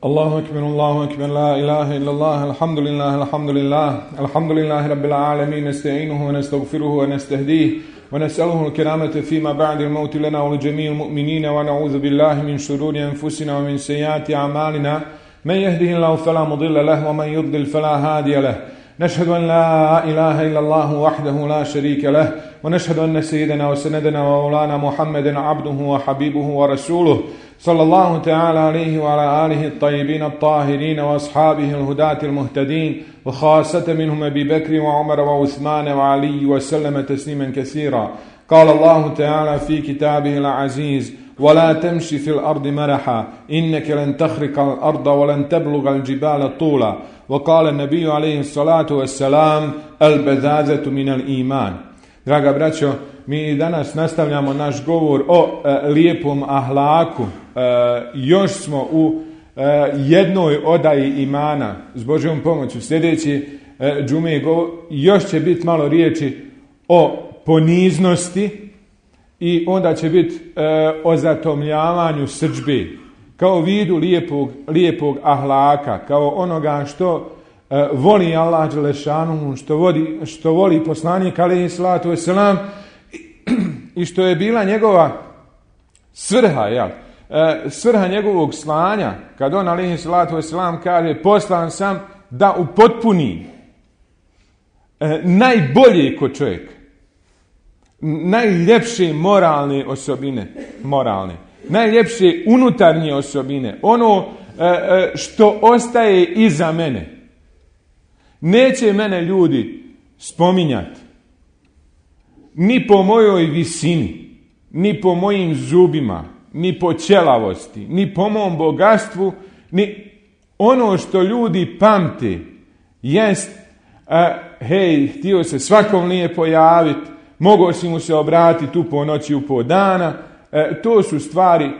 الله أكبر لا إله إلا الله الحمد لله رب العالمين نستعينه ونستغفره ونستهديه ونسأله الكرامة فيما بعد الموت لنا ولجميع المؤمنين ونعوذ بالله من شرور أنفسنا ومن سيئات أعمالنا من يهده الله فلا مضل له ومن يضلل فلا هادي له نشهد أن لا إله إلا الله وحده لا شريك له ونشهد أن سيدنا وسندنا ومولانا محمدا عبده وحبيبه ورسوله صلى الله تعالى عليه وعلى آله الطيبين الطاهرين وأصحابه الهداة المهتدين وخاصة منهم أبي بكر وعمر وعثمان وعلي وسلم تسليما كثيرا. قال الله تعالى في كتابه العزيز: ولا تمشي في الأرض مرحا إنك لن تخرق الأرض ولن تبلغ الجبال طولا. وقال النبي عليه الصلاة والسلام: البذاذة من الإيمان. Draga braćo, mi danas nastavljamo naš govor o lijepom ahlaku. Još smo u jednoj odaji imana. S Božjom pomoću sljedeći džume još će biti malo riječi o poniznosti i onda će biti o zatomljavanju srdžbe kao vidu lijepog ahlaka, kao onoga što voli Allah dželešanu, što voli poslanik alejhi salatu vesselam i što je bila njegova svrha, svrha njegovog slanja, kad on alejhi salatu vesselam kaže: poslan sam da upotpuni najbolje kod čovjeka, najljepše moralne osobine, najljepše unutarnje osobine, ono što ostaje iza mene. Neće mene ljudi spominjati ni po mojoj visini, ni po mojim zubima, ni po ćelavosti, ni po mom bogatstvu, ni ono što ljudi pamte jest hej, htio se svakom nije pojaviti, mogao si mu se obratiti u po noći, u po dana. To su stvari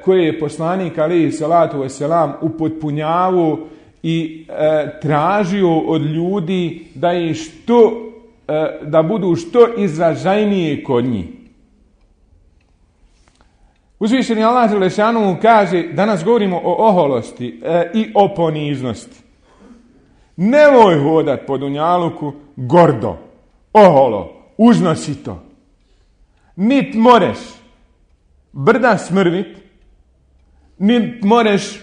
koje je poslanik alejhi salatu vesselam upotpunjavao i tražio od ljudi da budu što izražajnije kod njih. Uzvišeni Allah dželešanu kaže, danas govorimo o oholosti i o poniznosti. Nemoj hodat po dunjaluku gordo, oholo, uznosito. Nit moreš brda smrvit, nit moreš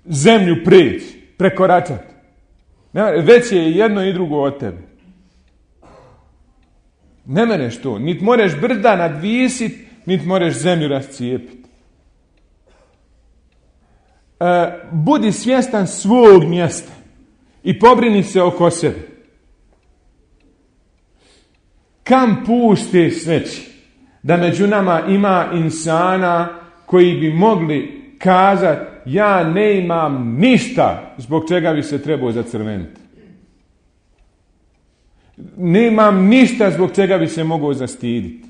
zemlju preći, prekoračati. Već je jedno i drugo od tebe. Ne mereš to. Nit moreš brda nadvisit, nit moreš zemlju rascijepiti. Budi svjestan svog mjesta i pobrini se oko sebe. Kam puste sveći da među nama ima insana koji bi mogli kazati: ja ne imam ništa zbog čega bi se trebao zacrveniti. Ne imam ništa zbog čega bi se mogao zastiditi.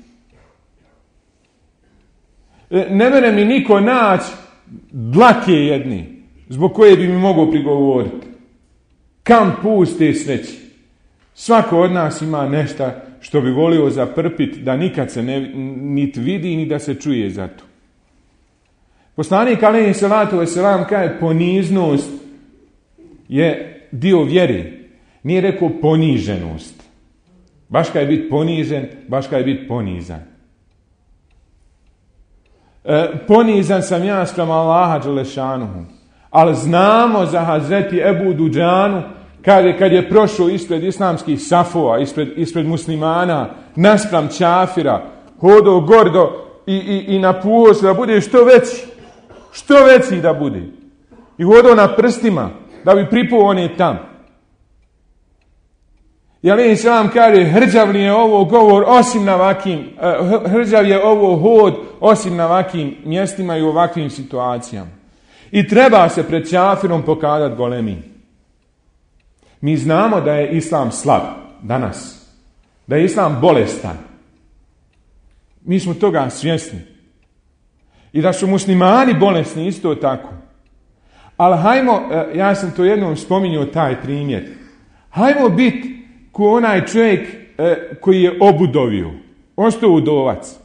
Ne mere mi niko naći dlake jedne zbog koje bi mi mogao prigovoriti. Kam puste sveći. Svako od nas ima nešto što bi volio zaprpiti, da nikad se niti vidi ni da se čuje za to. Poslanik alejhi salatu vesselam kaže: poniznost je dio vjere. Nije rekao poniženost. Baš kad je biti ponižen, baš kad je biti ponizan. Ponizan sam ja spram Allaha dželešanuhu. Ali znamo za Hazreti Ebu Duđanu, kad je prošao ispred islamskih safova, ispred muslimana, naspram čafira, hodao gordo i napuo se da bude što veći da bude. I hodao na prstima da bi pripuo one tam. I alejhi selam kaže: hrđav je ovo govor osim na ovakvim, hrđav je ovo hod osim na ovakvim mjestima i u ovakvim situacijama. I treba se pred čafirom pokazati golemim. Mi znamo da je islam slab danas, da je islam bolestan. Mi smo toga svjesni. I da su muslimani bolesni isto tako. Ali hajmo, ja sam to jednom spominjao taj primjer, hajmo biti ko onaj čovjek koji je obudovio, ostao udovac.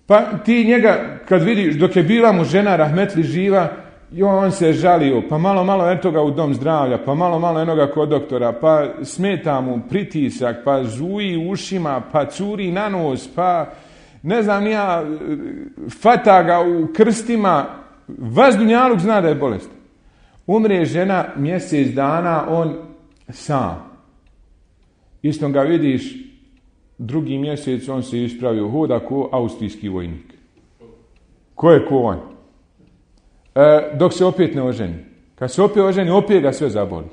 Pa ti njega kad vidiš, dok je bila mu žena rahmetli živa, i on se žalio, pa malo eto ga u dom zdravlja, pa malo enoga kod doktora, pa smeta mu pritisak, pa zuji ušima, pa curi na nos, pa ne znam nija, fata ga u krstima, vas dunjaluk zna da je bolest. Umre žena mjesec dana, on sam. Istom ga vidiš, drugi mjesec on se ispravio, hoda ko austrijski vojnik. Ko je ko on? Dok se opet ne oženi. Kad se opet oženi, opet ga sve zaboli.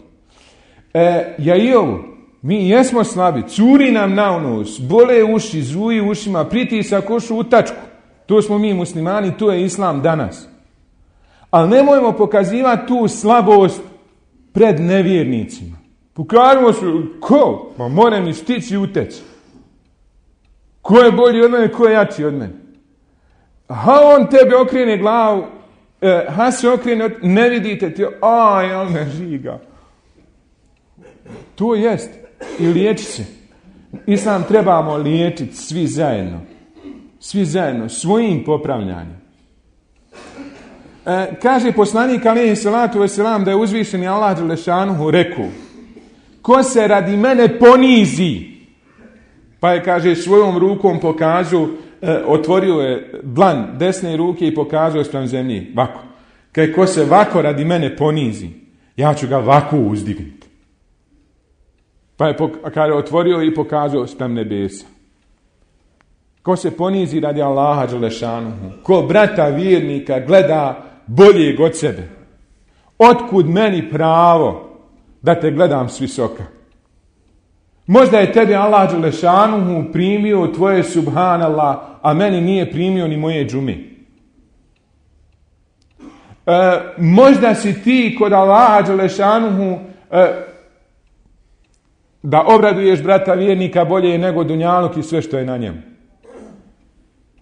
Ja i ovo, mi jesmo slabi, curi nam na nos, bole uši, zuji ušima, pritisak ušu u tačku. To smo mi muslimani, to je islam danas. Ali nemojmo pokazivati tu slabost pred nevjernicima. Pokažemo se, ko? Ma more mi stići i uteći. Ko je bolji od mene, ko je jači od mene? On tebe okrene glavu, se okrene, ne vidite ti, on me žiga. To jest. I liječi se. Islam trebamo liječiti svi zajedno. Svi zajedno, svojim popravljanjem. Kaže poslanik alejhi salatu vesselam da je uzvišeni Allah dželešanuhu rekao: ko se radi mene ponizi, pa je, kaže, svojom rukom pokazao, otvorio je dlan desne ruke i pokazao spram zemlji, vako. Kaže, ko se vako radi mene ponizi, ja ću ga vako uzdignuti. Pa je, kaže, otvorio i pokazao spram nebesa. Ko se ponizi radi Allaha dželešanuhu, ko brata vjernika gleda boljeg od sebe, otkud meni pravo da te gledam s visoka? Možda je tebi Allah dželešanuhu primio tvoje subhanallah, a meni nije primio ni moje džume. Možda si ti kod Allaha dželešanuhu da obraduješ brata vjernika bolje nego dunjaluk i sve što je na njemu.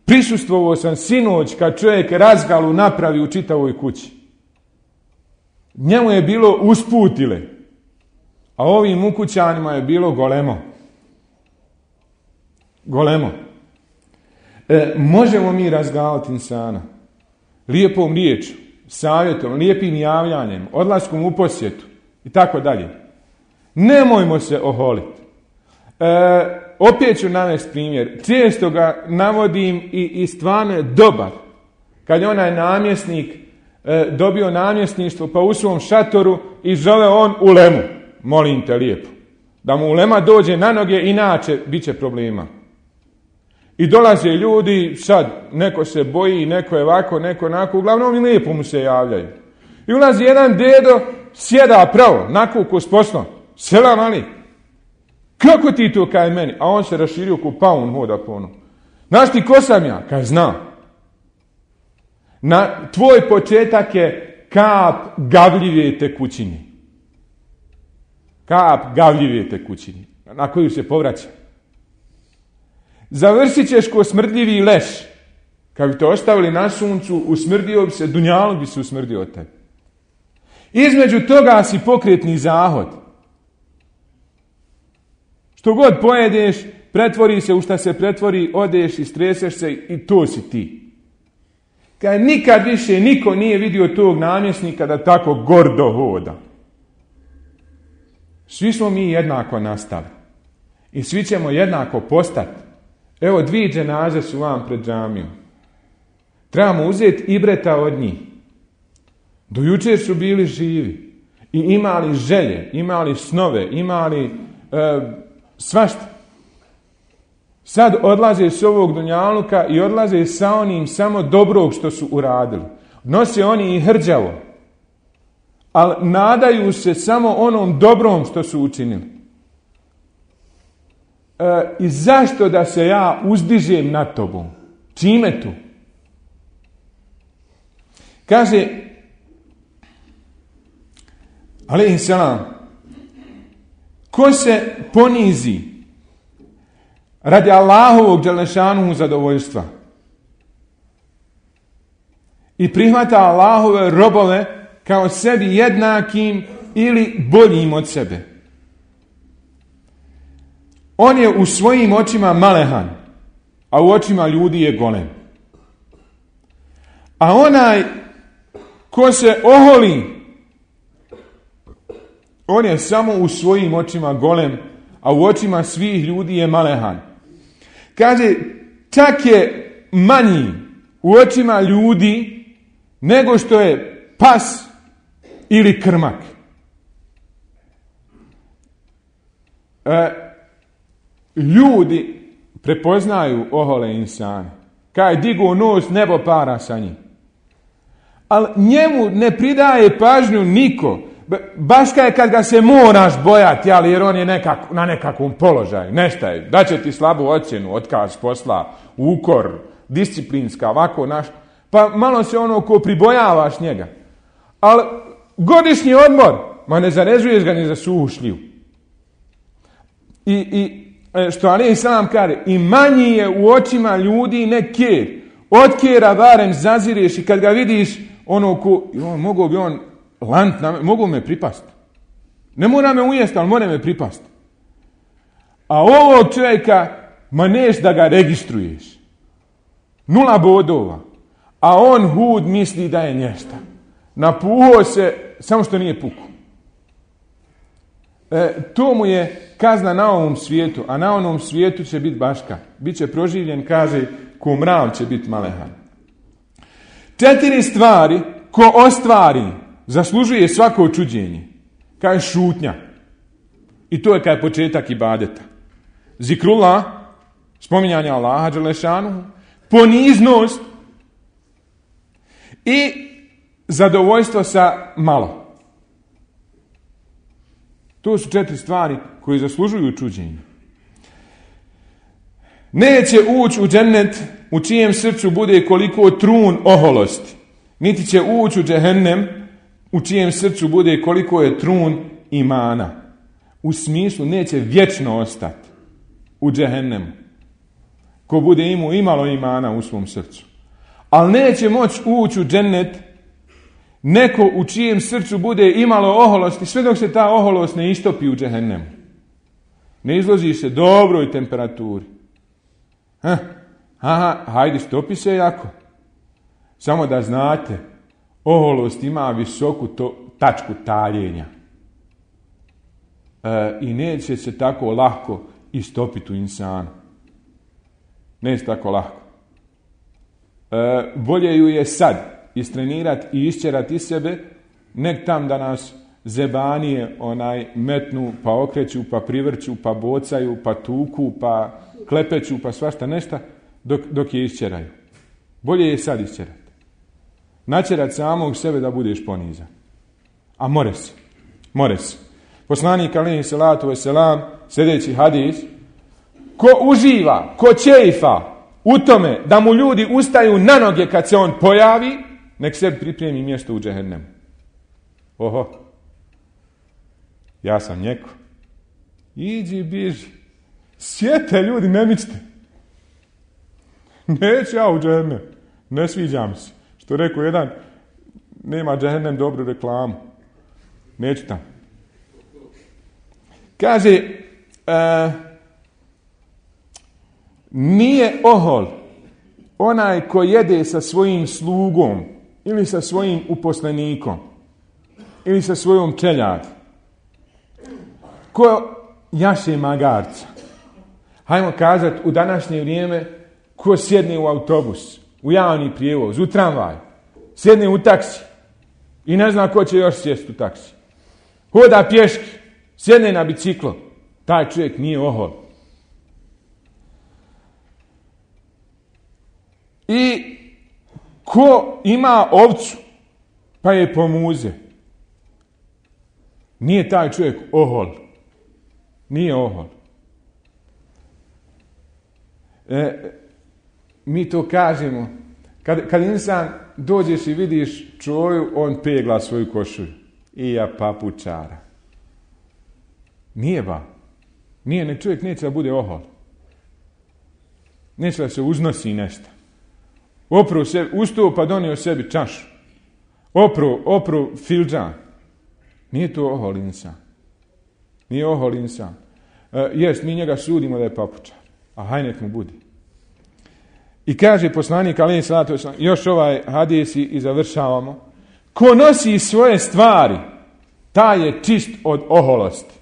Prisustvovao sam sinoć kad čovjek razgalu napravi u čitavoj kući. Njemu je bilo usputile, a ovim ukućanima je bilo golemo. Golemo. Možemo mi razgalati insana lijepom riječu, savjetom, lijepim javljanjem, odlaskom u posjetu i tako dalje. Nemojmo se oholiti. Opet ću navesti primjer. Često ga navodim i stvarno je dobar. Kad je onaj namjesnik dobio namjesništvo, pa u svom šatoru i zove on ulemu. Molim te lijepo. Da mu ulema dođe na noge, inače bit će problema. I dolaze ljudi, sad neko se boji, neko je ovako, neko onako, uglavnom i lijepo mu se javljaju. I ulazi jedan dedo, sjeda pravo, nakuku s poslom. Selam ali. Kako ti to kaj meni? A on se raširio ko paun hoda po ono. Znaš ti ko sam ja? Kaj znam. Tvoj početak je kap gavljive tekućine. Kap gavljive tekućine. Na koju se povraća. Završit ćeš ko smrdljivi leš. Kad bi te ostavili na suncu, usmrdio bi se, dunjaluk bi se usmrdio od tebe. Između toga si pokretni zahod. Što god pojedeš, pretvori se u šta se pretvori, odeš i streseš se i to si ti. Kad nikad više niko nije vidio tog namjesnika da tako gordo hoda. Svi smo mi jednako nastali. I svi ćemo jednako postati. Evo 2 dženaze su vam pred džamijom. Trebamo uzeti ibreta od njih. Do jučer su bili živi. I imali želje, imali snove, imali svašta. Sad odlaze s ovog dunjaluka i odlaze sa onim samo dobrog što su uradili. Nose oni i hrđavo. Ali nadaju se samo onom dobrom što su učinili. I zašto da se ja uzdižem nad tobom? Čime tu? Kaže alejhi selam, ko se ponizi radi Allahovog dželešanuhu zadovoljstva i prihvata Allahove robove kao sebi jednakim ili boljim od sebe, on je u svojim očima malehan, a u očima ljudi je golem. A onaj ko se oholi, on je samo u svojim očima golem, a u očima svih ljudi je malehan. Kaže, čak je manji u očima ljudi nego što je pas ili krmak. Ljudi prepoznaju ohole insane. Kaj digu nos, nebo para sa njim. Ali njemu ne pridaje pažnju niko. Baš kaj kad ga se moraš bojati, ali jer on je na nekakvom položaju. Nešto je. Daće ti slabu ocjenu, otkaz posla, ukor, disciplinska, ovako naš. Pa malo se ono ko pribojavaš njega. Ali godišnji odmor, ma ne zarezuješ ga ni za suhu šljivu. I što alejhi selam kaže, i manji je u očima ljudi ne ker. Od kera barem zazireš i kad ga vidiš, ono ko, mogu bi on lant, mogu me pripast. Ne mora me ujesti, ali mora me pripast. A ovog čovjeka, ma neš da ga registruješ. 0 bodova. A on hud misli da je nješta. Napuhao se, samo što nije puku. To mu je kazna na ovom svijetu, a na onom svijetu će biti baška. Biće proživljen, kaže, ko mrav će biti malehan. 4 stvari ko ostvari zaslužuje svako čuđenje. Kaže šutnja. I to je kaj početak ibadeta. Zikrullah, spominjanje Allaha dželešanu, poniznost i zadovoljstvo sa malo. To su 4 stvari koje zaslužuju čuđenje. Neće ući u džennet u čijem srcu bude koliko trun oholosti. Niti će ući u džehennem u čijem srcu bude koliko je trun imana. U smislu neće vječno ostati u džehennemu. Ko bude imao imalo imana u svom srcu. Ali neće moći ući u džennet neko u čijem srcu bude imalo oholosti, sve dok se ta oholost ne istopi u džehennemu. Ne izloži se dobroj temperaturi. Hajde, stopi se jako. Samo da znate, oholost ima visoku tačku taljenja. I neće se tako lako istopiti u insanu. Neće tako lako. Bolje ju je sad istrenirati i isčerati iz sebe, nek tam da nas zebanije metnu, pa okreću, pa privrću, pa bocaju, pa tuku, pa klepeću, pa svašta nešto, dok je isčeraju. Bolje je sad isčerati. Načerati samog sebe da budeš ponizan. A more se. Poslanik alejhi selatu vesselam, sljedeći hadis, ko uživa, ko čeifa u tome da mu ljudi ustaju na noge kad se on pojavi, nek sebi pripremi mjesto u džehennemu. Oho, ja sam njeko. Iđi, biži. Sjete ljudi, ne mičite. Neću ja u džehennem. Ne sviđa mi se. Što rekao jedan, nema džehennem dobru reklamu. Neću tam. Kaže, nije ohol onaj ko jede sa svojim slugom ili sa svojim uposlenikom ili sa svojom čeljadi. Ko jaše magarca. Hajmo kazati u današnje vrijeme ko sjedne u autobus, u javni prijevoz, u tramvaj, sjedne u taksi i ne zna ko će još sjesti u taksi. Hoda pješki, sjedne na biciklo. Taj čovjek nije ohol. I ko ima ovcu, pa je pomuze. Nije taj čovjek ohol. Nije ohol. Mi to kažemo. Kad insan dođeš i vidiš čoju, on pegla svoju košulju. I ja papučara. Nije ba. Nije, nek čovjek neće da bude ohol. Neće da se uznosi nešto. Opru sebi, ustao pa donio sebi čašu. Opru filđan. Nije to ohol insan. Nije ohol insan. Jest, mi njega sudimo da je papučar. A haj nek mu budi. I kaže poslanik alejhi selatu vesselam, još ovaj hadis i završavamo. Ko nosi svoje stvari, taj je čist od oholosti.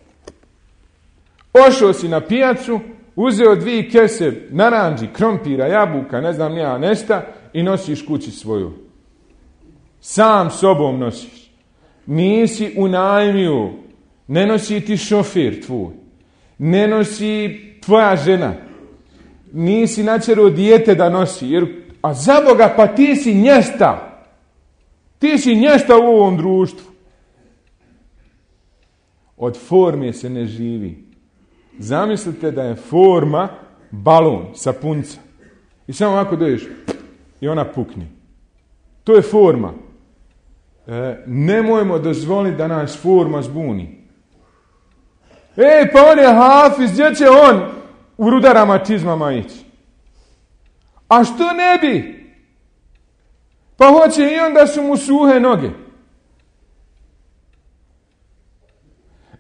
Ošao si na pijacu, uzeo 2 kese naranđi, krompira, jabuka, ne znam ja nešta i nosiš kući svoju. Sam sobom nosiš. Nisi unajmio, ne nosi ti šofir tvoj, ne nosi tvoja žena, nisi načero dijete da nosi, a za Boga pa ti si njesta. Ti si njesta u ovom društvu. Od forme se ne živi. Zamislite da je forma balon, sapunca. I samo ovako dođeš i ona pukne. To je forma. Nemojmo dozvoliti da nas forma zbuni. Pa on je hafiz, gdje će on u rudarama čizmama ići? A što ne bi? Pa hoće i onda su mu suhe noge.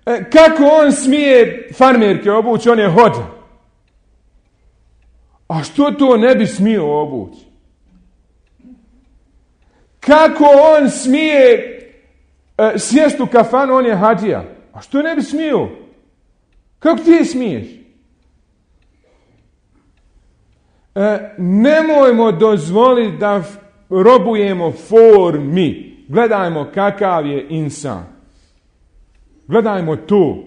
Kako on smije farmerke obući, on je hođa. A što to ne bi smio obući? Kako on smije sjest u kafanu, on je hađija. A što ne bi smio? Kako ti smiješ? Nemojmo dozvoliti da robujemo formi. Gledajmo kakav je insan. Gledajmo to.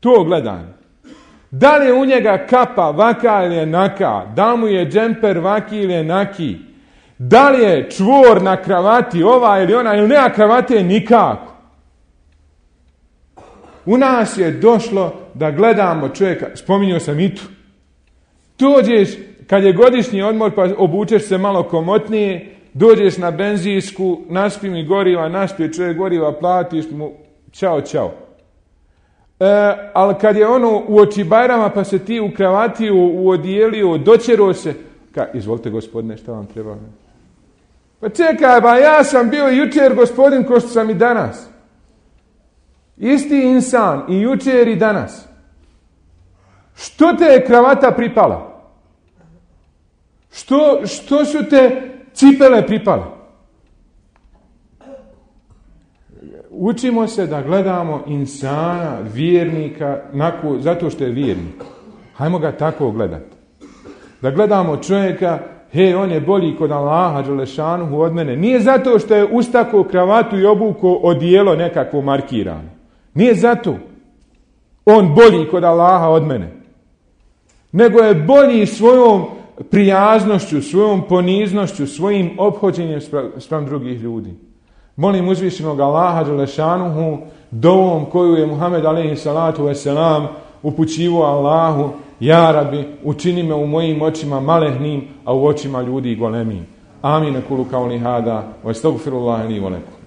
To gledajmo. Da li je u njega kapa vaka ili je naka? Da mu je džemper vaki ili je naki? Da li je čvor na kravati ova ili ona ili nema kravate nikako? U nas je došlo da gledamo čovjeka, spominjao sam i tu. Dođeš, kad je godišnji odmor pa obučeš se malo komotnije, dođeš na benzinsku, naspi mi goriva, naspije čovjek goriva, platiš mu, čao. Ali kad je ono u oči Bajrama pa se ti u kravati uodijelio, dočero se, izvolite gospodine, šta vam treba? Pa čekaj, ba ja sam bio jučer gospodin ko što sam i danas. Isti insan i jučer i danas. Što te je kravata pripala? Što su te cipele pripale? Učimo se da gledamo insana, vjernika, zato što je vjernik. Hajmo ga tako gledati. Da gledamo čovjeka, on je bolji kod Allaha dželešanuhu od mene. Nije zato što je ustakao kravatu i obukao odijelo nekakvo markirano. Nije zato on bolji kod Allaha od mene. Nego je bolji svojom prijaznošću, svojom poniznošću, svojim ophođenjem spram drugih ljudi. Molim uzvišenog Allaha dželešanuhu dovom koju je Muhammed alejhi salatu vesselam upućivao Allahu: Ja Rabbi, učini me u mojim očima malehnim, a u očima ljudi golemim. Amin. Kulu kauli hada, wa astaghfirullaha li wa lakum.